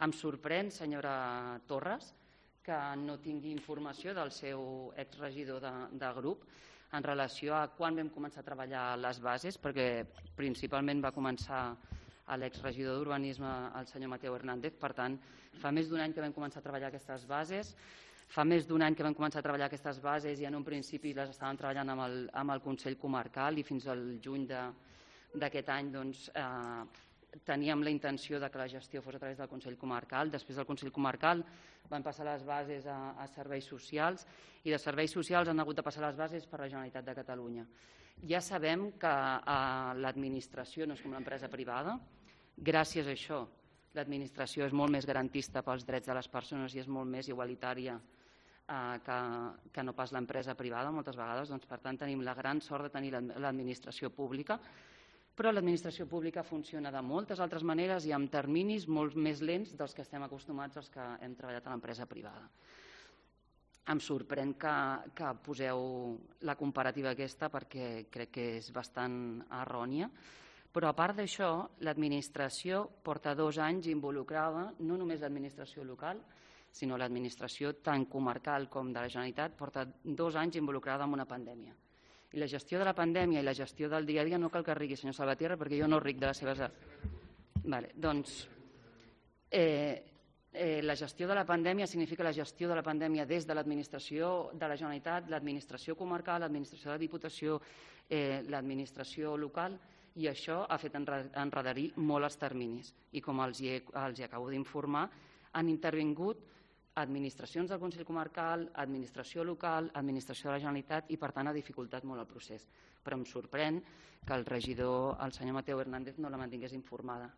Em sorprèn, senyora Torres, que no tingui informació del seu exregidor de grup en relació a quan vam començar a treballar les bases, perquè principalment va començar l'exregidor d'Urbanisme, el senyor Mateu Hernández. Per tant, fa més d'un any que vam començar a treballar aquestes bases. Fa més d'un any que vam començar a treballar aquestes bases i en un principi les estàvem treballant amb el Consell Comarcal i fins al juny d'aquest any teníem la intenció que la gestió fos a través del Consell Comarcal. Després del Consell Comarcal van passar les bases a serveis socials i de serveis socials han hagut de passar les bases per la Generalitat de Catalunya. Ja sabem que l'administració no és com l'empresa privada. Gràcies a això, l'administració és molt més garantista pels drets de les persones i és molt més igualitària que no pas l'empresa privada moltes vegades. Per tant, tenim la gran sort de tenir l'administració pública, però l'administració pública funciona de moltes altres maneres i amb terminis molt més lents dels que estem acostumats als que hem treballat a l'empresa privada. Em sorprèn que poseu la comparativa aquesta perquè crec que és bastant errònia, però a part d'això, l'administració porta 2 anys involucrada, no només l'administració local, sinó l'administració tant comarcal com de la Generalitat, porta 2 anys involucrada en una pandèmia. I la gestió de la pandèmia i la gestió del dia a dia no cal que rigui, senyor Salvatierra, perquè jo no ric de les seves... Doncs la gestió de la pandèmia significa la gestió de la pandèmia des de l'administració de la Generalitat, l'administració comarcal, l'administració de la Diputació, l'administració local, i això ha fet enredarir molt els terminis. I com els acabo d'informar, han intervingut administracions del Consell Comarcal, administració local, administració de la Generalitat i, per tant, ha dificultat molt el procés. Però em sorprèn que el regidor, el senyor Mateu Hernández, no la mantingués informada.